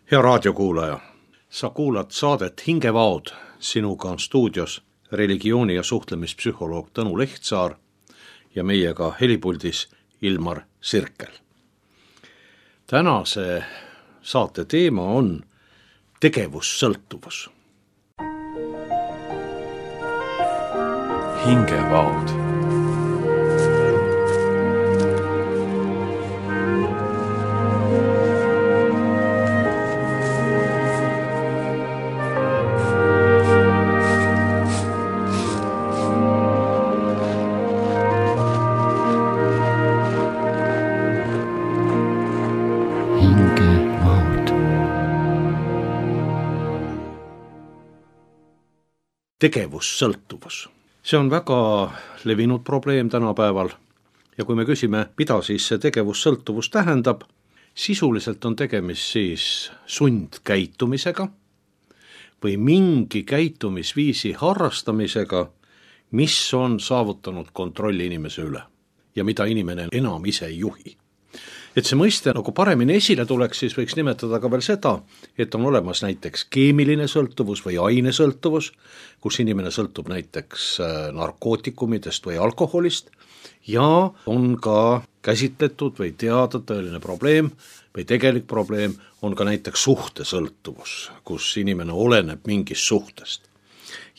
Hea raadiokuulaja, sa kuulad saadet Hingevaod. Sinuga on stuudios religiooni- ja suhtlemispsühholoog Tõnu Lehtsaar ja meiega helipuldis Ilmar Sirkel. Tänase saate teema on tegevussõltuvus. Hingevaod. Tegevussõltuvus. See on väga levinud probleem tänapäeval ja kui me küsime, mida siis see tegevussõltuvus tähendab, sisuliselt on tegemist siis sundkäitumisega või mingi käitumisviisi harrastamisega, mis on saavutanud kontrolli inimese üle ja mida inimene enam ise ei juhi. Et see mõiste nagu paremini esile tuleks, siis võiks nimetada ka veel seda, et on olemas näiteks keemiline sõltuvus või ainesõltuvus, kus inimene sõltub näiteks narkootikumidest või alkoholist ja on ka käsitletud või teada tõeline probleem või tegelik probleem on ka näiteks suhtesõltuvus, kus inimene oleneb mingist suhtest.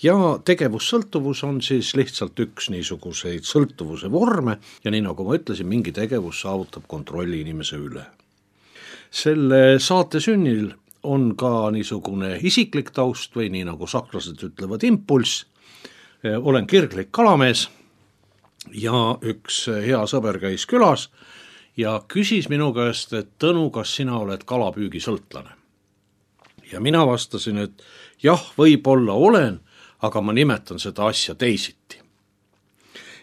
Ja tegevussõltuvus on siis lihtsalt üks niisuguseid sõltuvuse vorme ja nii nagu ma ütlesin, mingi tegevus saavutab kontrolli inimese üle. Selle saate sünnil on ka niisugune isiklik taust või nii nagu sakslased ütlevad impulss. Olen kirglik kalamees ja üks hea sõber käis külas ja küsis minu käest, et Tõnu, kas sina oled kalapüügisõltlane? Ja mina vastasin, et jah, võib-olla olen, aga ma nimetan seda asja teisiti.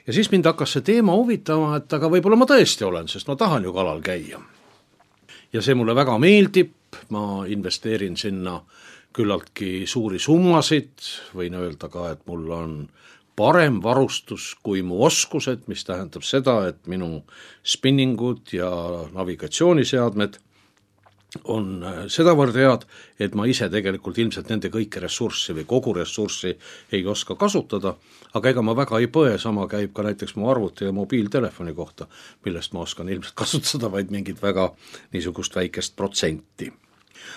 Ja siis mind hakkas see teema huvitama, et aga võib-olla ma tõesti olen, sest ma tahan ju kalal käia. Ja see mulle väga meeldib, ma investeerin sinna küllaltki suuri summasid, võin öelda ka, et mul on parem varustus kui mu oskused, mis tähendab seda, et minu spinningud ja navigatsiooniseadmed on sedavõrd head, et ma ise tegelikult ilmselt nende kõike ressurssi või kogu ressurssi ei oska kasutada, aga ega ma väga ei põe, sama käib ka näiteks mu arvuti ja mobiiltelefoni kohta, millest ma oskan ilmselt kasutada vaid mingit väga niisugust väikest protsenti.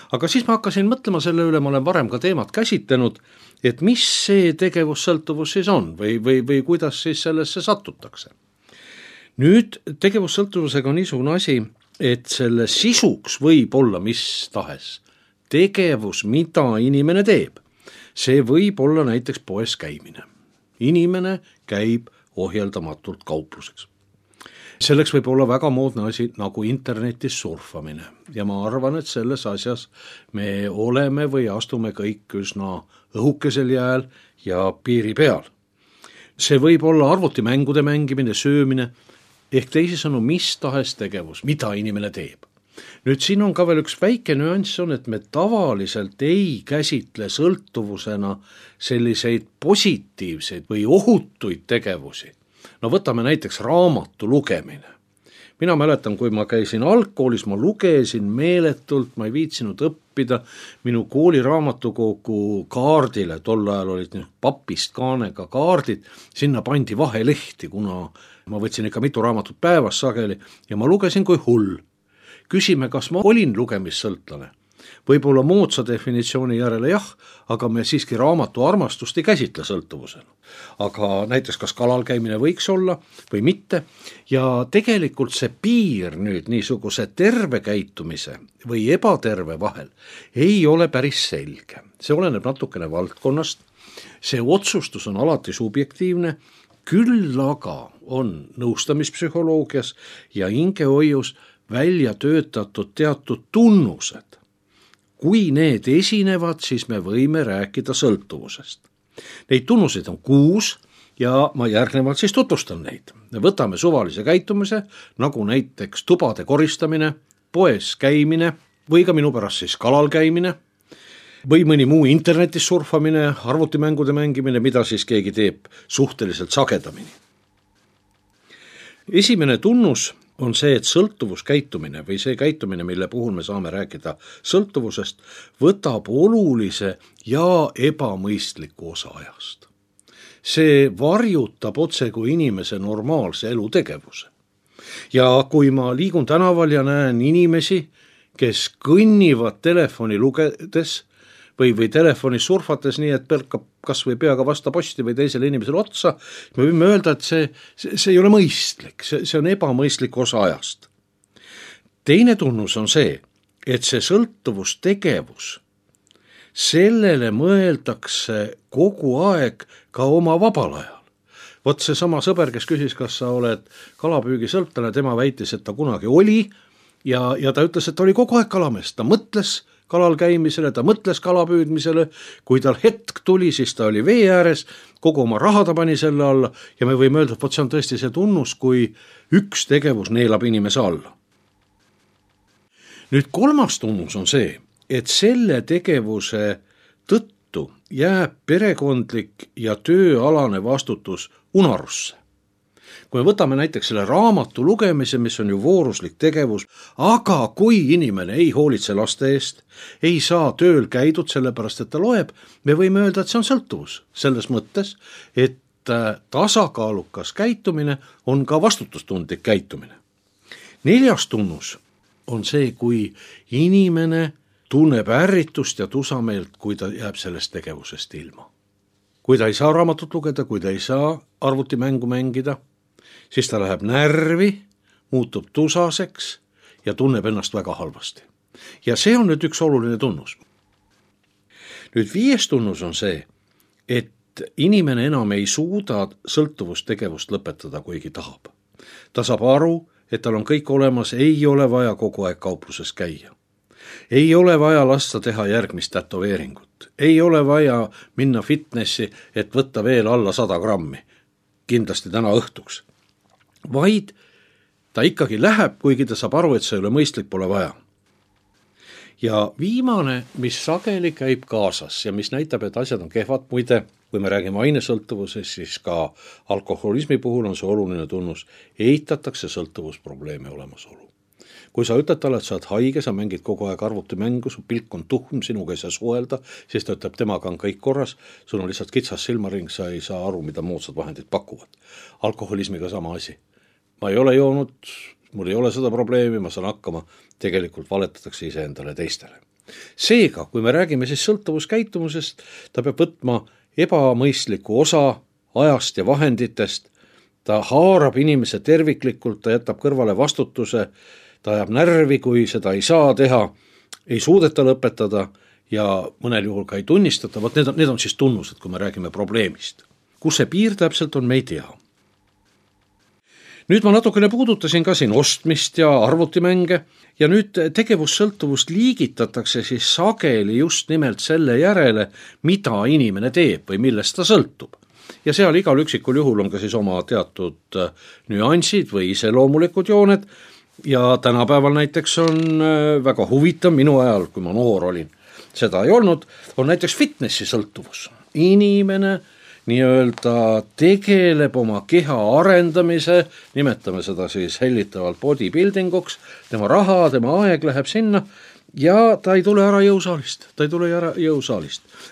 Aga siis ma hakkasin mõtlema selle üle, ma olen varem ka teemat käsitlenud, et mis see tegevussõltuvus siis on või kuidas siis sellesse satutakse. Nüüd tegevussõltuvusega on niisugune asi, et selle sisuks võib olla mis tahes tegevus, mida inimene teeb. See võib olla näiteks poes käimine. Inimene käib ohjeldamatult kaupluseks. Selleks võib olla väga moodne asi nagu internetis surfamine ja ma arvan, et selles asjas me oleme või astume kõik üsna õhukesel jääl ja piiri peal. See võib olla arvutimängude mängimine, söömine, ehk teisisõnu mis tahes tegevus, mida inimene teeb. Nüüd siin on ka veel üks väike nüanss on, et me tavaliselt ei käsitle sõltuvusena selliseid positiivseid või ohutuid tegevusi. No võtame näiteks raamatu lugemine. Mina mäletan, kui ma käisin algkoolis, ma lugesin meeletult, ma ei viitsinud õppida, minu kooli raamatukogu kaardile, tol ajal olid papist kaanega kaardid, sinna pandi vahelehti, kuna ma võtsin ikka mitu raamatut päevas sageli ja ma lugesin kui hull. Küsime, kas ma olin lugemissõltlane. Võib-olla moodsa definitsiooni järele jah, aga me siiski raamatu armastust ei käsitle sõltuvusena. Aga näiteks kas kalal käimine võiks olla või mitte ja tegelikult see piir nüüd niisuguse terve käitumise või ebaterve vahel ei ole päris selge. See oleneb natukene valdkonnast, see otsustus on alati subjektiivne, küll aga on nõustamispsühholoogias ja hingehoius välja töötatud teatud tunnused. Kui need esinevad, siis me võime rääkida sõltuvusest. Neid tunnuseid on 6 ja ma järgnevalt siis tutvustan neid. Võtame suvalise käitumise, nagu näiteks tubade koristamine, poes käimine või ka minu pärast siis kalal käimine või mõni muu internetis surfamine, arvutimängude mängimine, mida siis keegi teeb suhteliselt sagedamini. Esimene tunnus on see, et sõltuvuskäitumine või see käitumine, mille puhul me saame rääkida sõltuvusest, võtab olulise ja ebamõistliku osa ajast. See varjutab otse kui inimese normaalse elutegevuse. Ja kui ma liigun tänaval ja näen inimesi, kes kõnnivad telefoni lugedes või telefonis surfates nii, et pelkab kas või peaga vasta posti või teisele inimesele otsa, me võime öelda, et see ei ole mõistlik, see on ebamõistlik osa ajast. Teine tunnus on see, et see sõltuvustegevus, sellele mõeldakse kogu aeg ka oma vabal ajal. Vot see sama sõber, kes küsis, kas sa oled kalapüügisõltlane, tema väitis, et ta kunagi oli ja ta ütles, et ta oli kogu aeg kalamees, ta mõtles kalal käimisele, ta mõtles kalapüüdmisele, kui tal hetk tuli, siis ta oli vee ääres, kogu oma raha ta pani selle alla ja me võime öelda, et vot see on tõesti see tunnus, kui üks tegevus neelab inimese alla. Nüüd kolmas tunnus on see, et selle tegevuse tõttu jääb perekondlik ja tööalane vastutus unarusse. Kui me võtame näiteks selle raamatu lugemise, mis on ju vooruslik tegevus, aga kui inimene ei hoolitse laste eest, ei saa tööl käidud sellepärast, et ta loeb, me võime öelda, et see on sõltuvus. Selles mõttes, et tasakaalukas käitumine on ka vastutustundlik käitumine. Neljas tunnus on see, kui inimene tunneb ärritust ja tusameelt, kui ta jääb sellest tegevusest ilma. Kui ta ei saa raamatut lugeda, kui ta ei saa arvutimängu mängida, siis ta läheb närvi, muutub tusaseks ja tunneb ennast väga halvasti. Ja see on nüüd üks oluline tunnus. Nüüd 5. tunnus on see, et inimene enam ei suuda sõltuvustegevust lõpetada, kuigi tahab. Ta saab aru, et tal on kõik olemas, ei ole vaja kogu aeg kaupluses käia. Ei ole vaja lasta teha järgmist tätoveeringut. Ei ole vaja minna fitnessi, et võtta veel alla 100 grammi. Kindlasti täna õhtuks. Vaid ta ikkagi läheb, kuigi ta saab aru, et see ei ole mõistlik, pole vaja. Ja viimane, mis sageli käib kaasas ja mis näitab, et asjad on kehvad, muide, kui me räägime ainesõltuvuses, siis ka alkoholismi puhul on see oluline tunnus, eitatakse sõltuvusprobleemi olemasolu. Kui sa ütled talle, et sa oled haige, sa mängid kogu aeg arvutimängu, su pilk on tuhm, sinuga ei saa suhelda, siis ta ütleb, temaga on kõik korras, sul on lihtsalt kitsas silmaring, sa ei saa aru, mida moodsad vahendid pakuvad. Alkoholismiga sama asi. Ma ei ole joonud, mul ei ole seda probleemi, ma saan hakkama, tegelikult valetatakse iseendale teistele. Seega, kui me räägime siis sõltuvuskäitumusest, ta peab võtma ebamõistliku osa ajast ja vahenditest, ta haarab inimese terviklikult, ta jätab kõrvale vastutuse, ta ajab närvi, kui seda ei saa teha, ei suudeta lõpetada ja mõnel juhul ka ei tunnistata, vot need on siis tunnused, kui me räägime probleemist. Kus see piir täpselt on, me ei tea. Nüüd ma natukene puudutasin ka siin ostmist ja arvutimänge ja nüüd tegevussõltuvust liigitatakse siis sageli just nimelt selle järele, mida inimene teeb või millest ta sõltub. Ja seal igal üksikul juhul on ka siis oma teatud nüansid või iseloomulikud jooned ja tänapäeval näiteks on väga huvitav, minu ajal, kui ma noor olin, seda ei olnud, on näiteks fitnessi sõltuvus. Inimene nii-öelda tegeleb oma keha arendamise, nimetame seda siis hellitavalt bodybuildinguks, tema raha, tema aeg läheb sinna ja ta ei tule ära jõusaalist.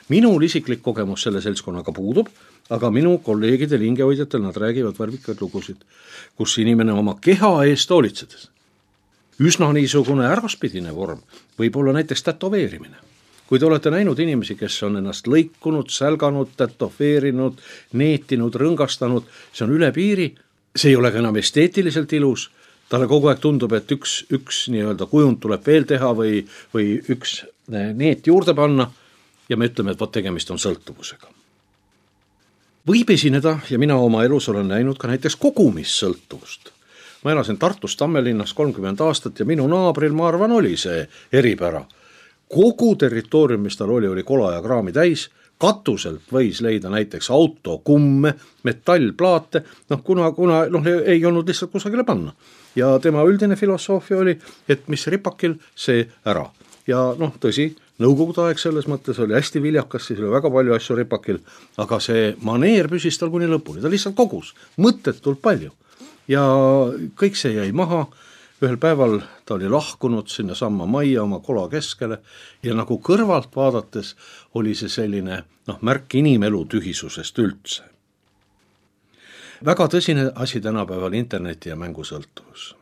Minul isiklik kogemus selle seltskonnaga puudub, aga minu kolleegidel, hingehoidjatel, nad räägivad värvikaid lugusid, kus inimene oma keha eest hoolitsedes. Üsna niisugune äraspidine vorm võib olla näiteks tätoveerimine. Kui te olete näinud inimesi, kes on ennast lõikunud, sälganud, tätoveerinud, neetinud, rõngastanud, see on üle piiri, see ei ole ka enam esteetiliselt ilus, talle kogu aeg tundub, et üks nii-öelda kujund tuleb veel teha või üks neet juurde panna ja me ütleme, et vot tegemist on sõltuvusega. Võib esineda, ja mina oma elus olen näinud ka näiteks kogumissõltuvust. Ma elasin Tartus Tammelinnas 30 aastat ja minu naabril, ma arvan, oli see eripära. Kogu territoorium, mis tal oli kola ja kraami täis, katuselt võis leida näiteks autokumme, metallplaate, kuna ei olnud lihtsalt kusagile panna. Ja tema üldine filosoofia oli, et mis ripakil, see ära. Ja tõsi, nõukogude aeg selles mõttes oli hästi viljakas, siis oli väga palju asju ripakil, aga see maneer püsis tal kuni lõpuni, ta lihtsalt kogus, mõttetult palju. ja kõik see jäi maha. Ühel päeval ta oli lahkunud sinna samma majja oma kola keskele ja nagu kõrvalt vaadates oli see selline märk inimelu tühisusest üldse. Väga tõsine asi tänapäeval interneti ja mängusõltuvus.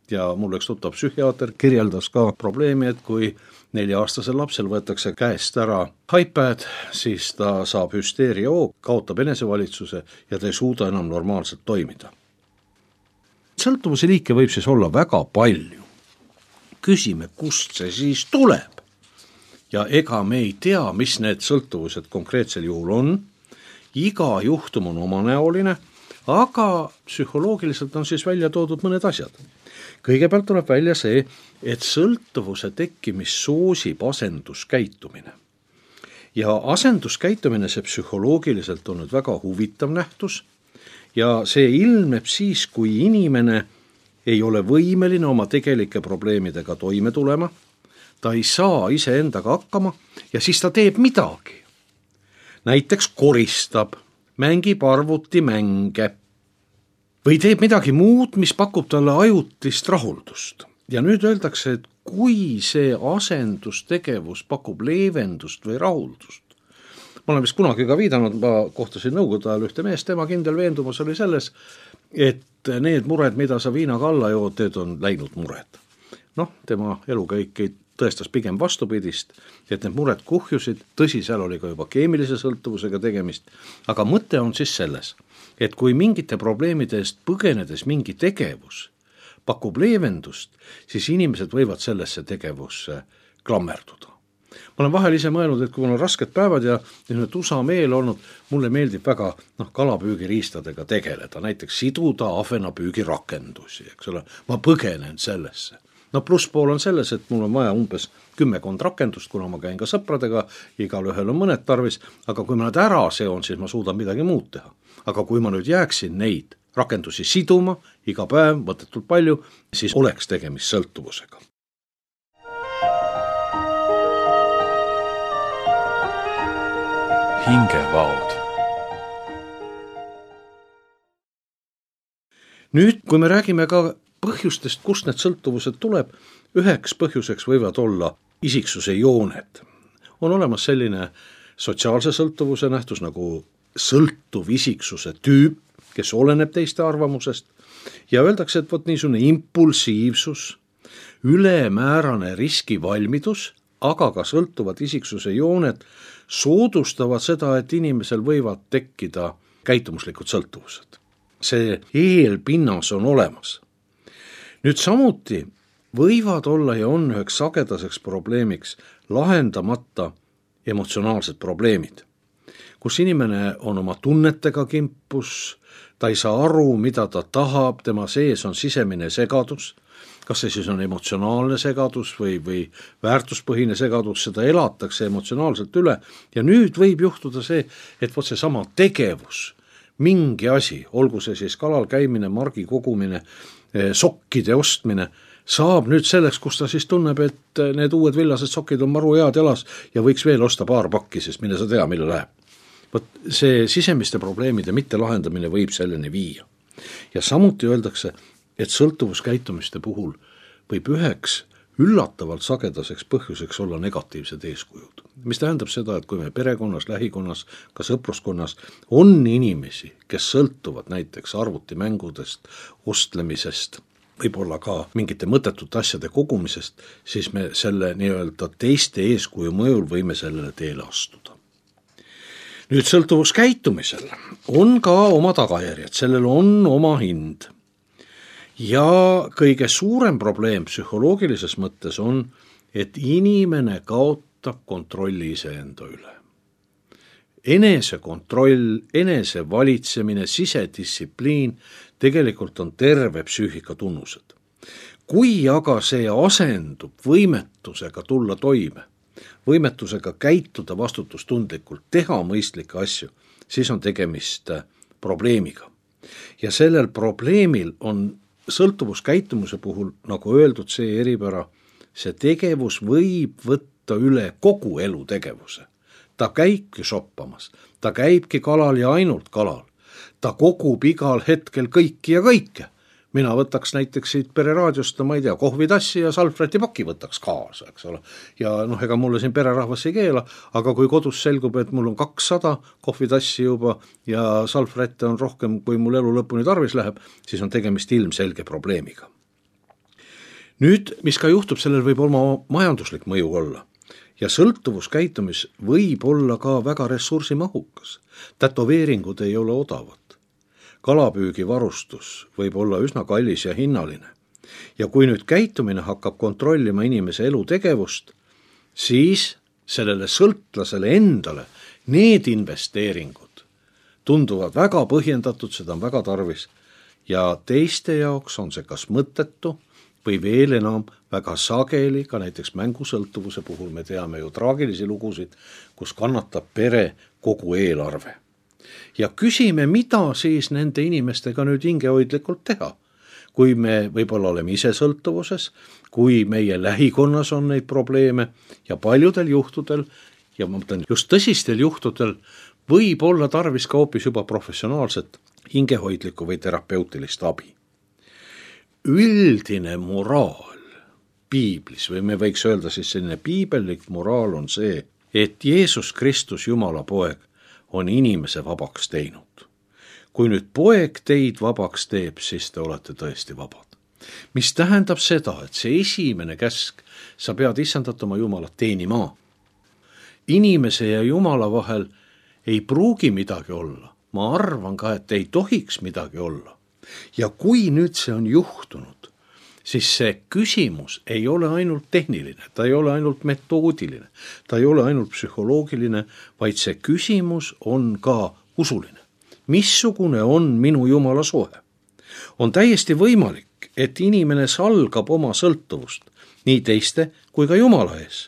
Ja mul üks tuttav psühhiaater kirjeldas ka probleemi, et kui 4-aastasel lapsel võetakse käest ära iPad, siis ta saab hüsteeriahoog, kaotab enesevalitsuse ja ta ei suuda enam normaalselt toimida. Sõltuvuse liike võib siis olla väga palju. Küsime, kust see siis tuleb? Ja ega me ei tea, mis need sõltuvused konkreetsel juhul on. Iga juhtum on omanäoline, aga psühholoogiliselt on siis välja toodud mõned asjad. Kõigepealt tuleb välja see, et sõltuvuse tekkimist soosib asenduskäitumine. Ja asenduskäitumine see psühholoogiliselt on nüüd väga huvitav nähtus ja see ilmneb siis, kui inimene ei ole võimeline oma tegelike probleemidega toime tulema, ta ei saa iseendaga hakkama ja siis ta teeb midagi. Näiteks koristab, mängib arvutimänge või teeb midagi muud, mis pakub talle ajutist rahuldust. Ja nüüd öeldakse, et kui see asendustegevus pakub leevendust või rahuldust, ma olen vist kunagi ka viidanud, ma kohtasin nõukogude ajal ühte meest, tema kindel veendumus oli selles, et need mured, mida sa viinaga alla jood, need on läinud mured. Tema elukäik tõestas pigem vastupidist, et need mured kuhjusid, tõsi, seal oli ka juba keemilise sõltuvusega tegemist, aga mõte on siis selles, et kui mingite probleemide eest põgenedes mingi tegevus pakub leevendust, siis inimesed võivad sellesse tegevusse klammerduda. Ma olen vahel ise mõelnud, et kui mul on rasked päevad ja tusa meel olnud, mulle meeldib väga kalapüügiriistadega tegeleda, näiteks siduda ahvenapüügirakendusi, eks ole, ma põgenen sellesse. Plusspool on selles, et mul on vaja umbes 10 rakendust, kuna ma käin ka sõpradega, igal ühel on mõned tarvis, aga kui ma nad ära seon, siis ma suudan midagi muud teha. Aga kui ma nüüd jääksin neid rakendusi siduma iga päev, mõttetult palju, siis oleks tegemist sõltuvusega. Hingevaod. Nüüd, kui me räägime ka põhjustest, kust need sõltuvused tuleb, üheks põhjuseks võivad olla isiksuse jooned. On olemas selline sotsiaalse sõltuvuse nähtus nagu sõltuv isiksuse tüüp, kes oleneb teiste arvamusest ja öeldakse, et niisugune impulsiivsus, ülemäärane riskivalmidus, aga ka sõltuvad isiksuse jooned soodustavad seda, et inimesel võivad tekkida käitumuslikud sõltuvused. See eelpinnas on olemas. Nüüd samuti võivad olla ja on üheks sagedaseks probleemiks lahendamata emotsionaalsed probleemid, kus inimene on oma tunnetega kimpus, ta ei saa aru, mida ta tahab, tema sees on sisemine segadus, kas see siis on emotsionaalne segadus või väärtuspõhine segadus, seda elatakse emotsionaalselt üle ja nüüd võib juhtuda see, et see sama tegevus, mingi asi, olgu see siis kalal käimine, margi kogumine, sokkide ostmine, saab nüüd selleks, kus ta siis tunneb, et need uued villased sokid on maru head jalas ja võiks veel osta paar pakki, sest mille sa tea, mille läheb. See sisemiste probleemide mitte lahendamine võib selleni viia. Ja samuti öeldakse, et sõltuvuskäitumiste puhul võib üheks üllatavalt sagedaseks põhjuseks olla negatiivsed eeskujud. Mis tähendab seda, et kui me perekonnas, lähikonnas, ka sõpruskonnas on inimesi, kes sõltuvad näiteks arvutimängudest, ostlemisest, võib-olla ka mingite mõttetute asjade kogumisest, siis me selle nii-öelda teiste eeskuju mõjul võime sellele teele astuda. Nüüd sõltuvuskäitumisel on ka oma tagajärjed, sellel on oma hind. Ja kõige suurem probleem psühholoogilises mõttes on, et inimene kaotab kontrolli iseenda üle. Enesekontroll, enesevalitsemine, sisedistsipliin tegelikult on terve psüühika tunnused. Kui aga see asendub võimetusega tulla toime, võimetusega käituda vastutustundlikult, teha mõistlikke asju, siis on tegemist probleemiga. Ja sellel probleemil on sõltuvuskäitumuse puhul, nagu öeldud, see eripära, see tegevus võib võtta üle kogu elutegevuse. Ta käibki shoppamas, ta käibki kalal ja ainult kalal. Ta kogub igal hetkel kõiki ja kõike. mina võtaks näiteks siit pereraadiost, ma ei tea, kohvitassi ja salvrätipaki võtaks kaasa, eks ole. Ja ega mulle siin pererahvas ei keela, aga kui kodus selgub, et mul on 200 kohvitassi juba ja salvrätte on rohkem, kui mul elu lõpuni tarvis läheb, siis on tegemist ilmselge probleemiga. Nüüd, mis ka juhtub, sellel võib oma majanduslik mõju olla. Ja sõltuvuskäitumis võib olla ka väga ressursimahukas. Tätoveeringud ei ole odavad. Kalapüügivarustus võib olla üsna kallis ja hinnaline. Ja kui nüüd käitumine hakkab kontrollima inimese elutegevust, siis sellele sõltlasele endale need investeeringud tunduvad väga põhjendatud, seda on väga tarvis. Ja teiste jaoks on see kas mõttetu või veel enam väga sageli, ka näiteks mängusõltuvuse puhul me teame ju traagilisi lugusid, kus kannatab pere kogu eelarve. Ja küsime, mida siis nende inimestega nüüd hingehoidlikult teha. Kui me võib-olla oleme ise sõltuvuses, kui meie lähikonnas on neid probleeme ja paljudel juhtudel, ja ma mõtlen just tõsistel juhtudel, võib olla tarvis ka hoopis juba professionaalset hingehoidlikku või terapeutilist abi. Üldine moraal piiblis, või me võiks öelda siis selline piibellik moraal on see, et Jeesus Kristus, Jumala poeg, on inimese vabaks teinud. Kui nüüd poeg teid vabaks teeb, siis te olete tõesti vabad. Mis tähendab seda, et see esimene käsk, sa pead issandat oma Jumalat teenima. Inimese ja Jumala vahel ei pruugi midagi olla. Ma arvan ka, et ei tohiks midagi olla. Ja kui nüüd see on juhtunud, siis see küsimus ei ole ainult tehniline, ta ei ole ainult metoodiline, ta ei ole ainult psühholoogiline, vaid see küsimus on ka usuline. Missugune on minu Jumala suhe? On täiesti võimalik, et inimene salgab oma sõltuvust nii teiste kui ka Jumala ees.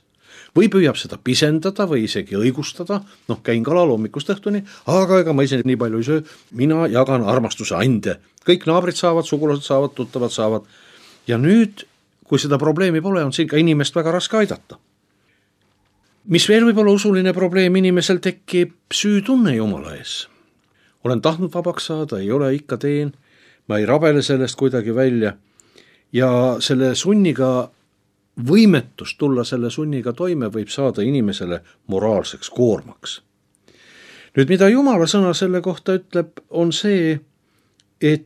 Või püüab seda pisendada või isegi õigustada, käin kalal hommikust õhtuni, aga ega ma ise nii palju ei söö, mina jagan armastuse ande. Kõik naabrid saavad, sugulased saavad, tuttavad saavad. Ja nüüd, kui seda probleemi pole, on siin ka inimest väga raske aidata. Mis veel võib olla usuline probleem, inimesel tekib süütunne Jumala ees. Olen tahtnud vabaks saada, ei ole, ikka teen, ma ei rabele sellest kuidagi välja. Ja selle sunniga võimetus tulla selle sunniga toime võib saada inimesele moraalseks koormaks. Nüüd, mida Jumala sõna selle kohta ütleb, on see, et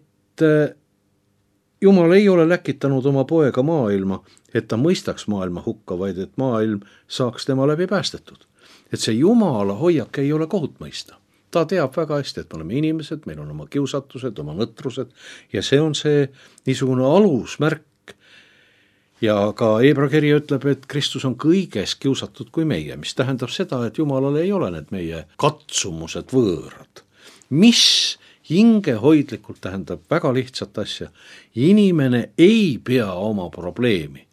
Jumal ei ole läkitanud oma poega maailma, et ta mõistaks maailma hukka, vaid et maailm saaks tema läbi päästetud. Et see Jumala hoiak ei ole kohut mõista. Ta teab väga hästi, et me oleme inimesed, meil on oma kiusatused, oma nõtrused ja see on see niisugune alusmärk. Ja ka Hebra kiri ütleb, et Kristus on kõiges kiusatud kui meie, mis tähendab seda, et Jumalale ei ole need meie katsumused võõrad. Mis hingehoidlikult tähendab väga lihtsat asja. Inimene ei pea oma probleemi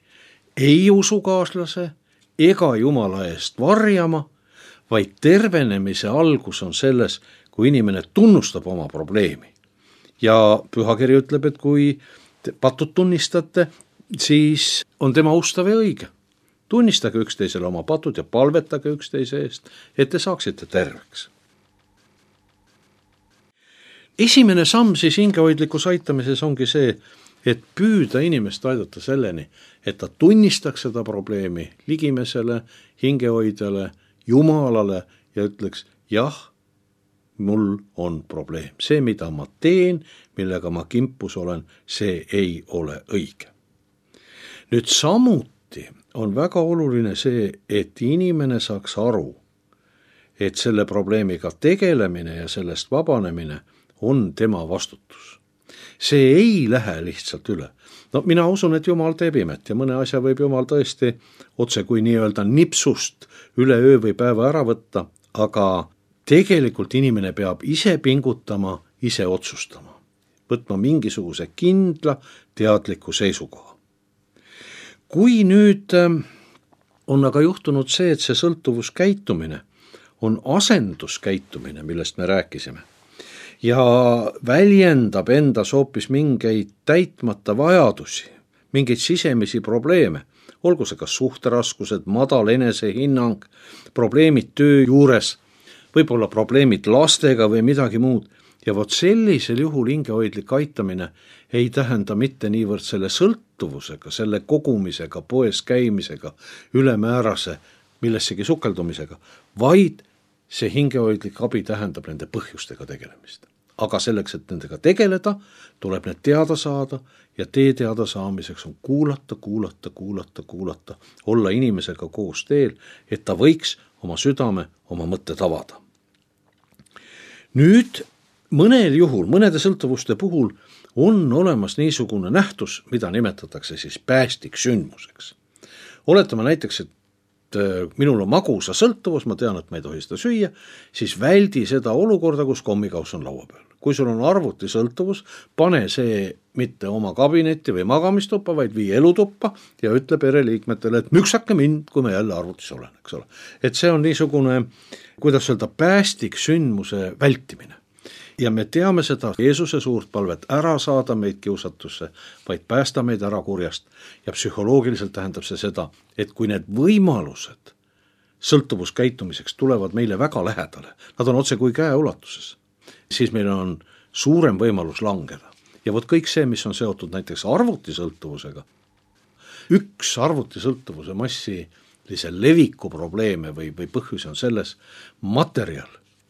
ei usukaaslase ega Jumala eest varjama, vaid tervenemise algus on selles, kui inimene tunnustab oma probleemi. Ja pühakiri ütleb, et kui patud tunnistate, siis on tema ustav ja õige. Tunnistage üksteisele oma patud ja palvetage üksteise eest, et te saaksite terveks. Esimene samm siis hingehoidlikus aitamises ongi see, et püüda inimest aidata selleni, et ta tunnistaks seda probleemi ligimesele, hingehoidjale, Jumalale ja ütleks, jah, mul on probleem. See, mida ma teen, millega ma kimpus olen, see ei ole õige. Nüüd samuti on väga oluline see, et inimene saaks aru, et selle probleemiga tegelemine ja sellest vabanemine on tema vastutus. See ei lähe lihtsalt üle. Mina usun, et Jumal teeb imet ja mõne asja võib Jumal tõesti otse kui nii-öelda nipsust üle öö või päeva ära võtta, aga tegelikult inimene peab ise pingutama, ise otsustama, võtma mingisuguse kindla teadliku seisukoha. Kui nüüd on aga juhtunud see, et see sõltuvuskäitumine on asenduskäitumine, millest me rääkisime, ja väljendab endas hoopis mingeid täitmata vajadusi, mingeid sisemisi probleeme, olgu see kas suhteraskused, madal enesehinnang, probleemid töö juures, võib-olla probleemid lastega või midagi muud, ja vot sellisel juhul hingehoidlik aitamine ei tähenda mitte niivõrd selle sõltuvusega, selle kogumisega, poes käimisega, ülemäärase millessegi sukeldumisega, vaid see hingehoidlik abi tähendab nende põhjustega tegelemist. Aga selleks, et nendega tegeleda, tuleb need teada saada ja tee teada saamiseks on kuulata, olla inimesega koos teel, et ta võiks oma südame, oma mõtted avada. Nüüd mõnel juhul, mõnede sõltuvuste puhul on olemas niisugune nähtus, mida nimetatakse siis päästiksündmuseks. Oletame näiteks, et minul on magusa sõltuvus, ma tean, et ma ei tohi seda süüa, siis väldi seda olukorda, kus kommikaus on laua peal. Kui sul on arvuti sõltuvus, pane see mitte oma kabinetti või magamistuppa, vaid vii elutuppa ja ütle pereliikmetele, et müksake mind, kui ma jälle arvutis olen, eks ole. Et see on niisugune, kuidas öelda, päästiksündmuse vältimine. Ja me teame seda Jeesuse suurt palvet ära saada meid kiusatusse, vaid päästa meid ära kurjast. Ja psühholoogiliselt tähendab see seda, et kui need võimalused sõltuvuskäitumiseks tulevad meile väga lähedale, nad on otse kui käeulatuses, siis meil on suurem võimalus langeda. Ja vot kõik see, mis on seotud näiteks arvutisõltuvusega, üks arvutisõltuvuse massilise leviku probleeme või põhjus on selles materjal,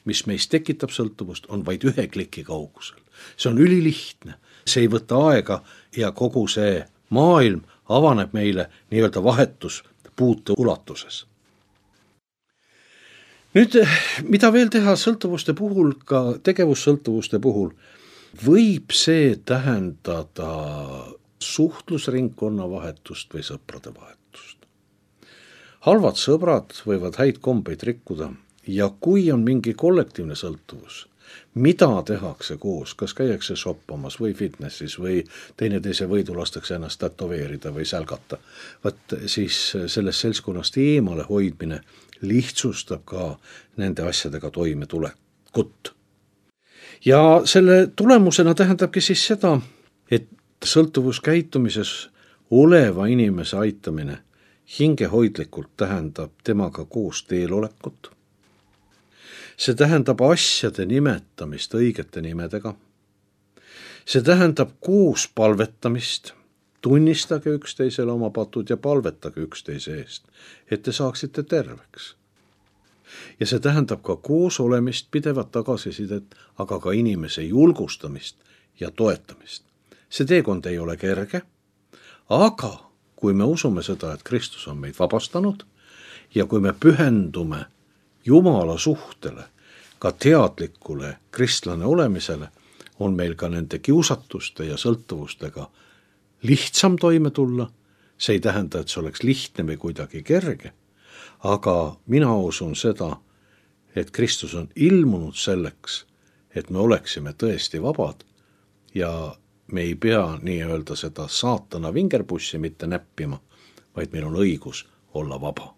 mis meist tekitab sõltuvust, on vaid ühe kliki kaugusel. See on ülilihtne, see ei võta aega ja kogu see maailm avaneb meile nii-öelda vahetuspuute ulatuses. Nüüd, mida veel teha sõltuvuste puhul, ka tegevussõltuvuste puhul, võib see tähendada suhtlusringkonna vahetust või sõprade vahetust. Halvad sõbrad võivad häid kombeid rikkuda. Ja kui on mingi kollektiivne sõltuvus, mida tehakse koos, kas käiakse shoppamas või fitnessis või teineteise võidu lastakse ennast tätoveerida või sälgata, võt siis sellest seltskonnast eemale hoidmine lihtsustab ka nende asjadega toimetulekut. Ja selle tulemusena tähendabki siis seda, et sõltuvuskäitumises oleva inimese aitamine hingehoidlikult tähendab temaga koos teelolekut. See tähendab asjade nimetamist õigete nimedega. See tähendab koos palvetamist, tunnistage üksteisele oma patud ja palvetage üksteise eest, et te saaksite terveks. Ja see tähendab ka koos olemist, pidevat tagasisidet, aga ka inimese julgustamist ja toetamist. See teekond ei ole kerge, aga kui me usume seda, et Kristus on meid vabastanud ja kui me pühendume Jumala suhtele, ka teadlikule kristlane olemisele, on meil ka nende kiusatuste ja sõltuvustega lihtsam toime tulla. See ei tähenda, et see oleks lihtne või kuidagi kerge, aga mina usun seda, et Kristus on ilmunud selleks, et me oleksime tõesti vabad ja me ei pea nii-öelda seda saatana vingerpussi mitte näppima, vaid meil on õigus olla vaba.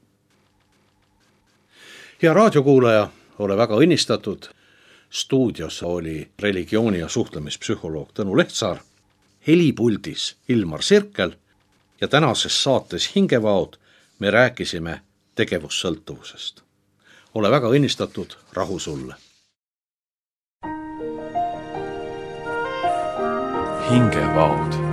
Ja raadiokuulaja, ole väga õnnistatud. Stuudios oli religiooni- ja suhtlemispsühholoog Tõnu Lehtsaar, helipuldis Ilmar Sirkel ja tänases saates Hingevaod me rääkisime tegevussõltuvusest. Ole väga õnnistatud, rahu sulle. Hingevaod. Hingevaod.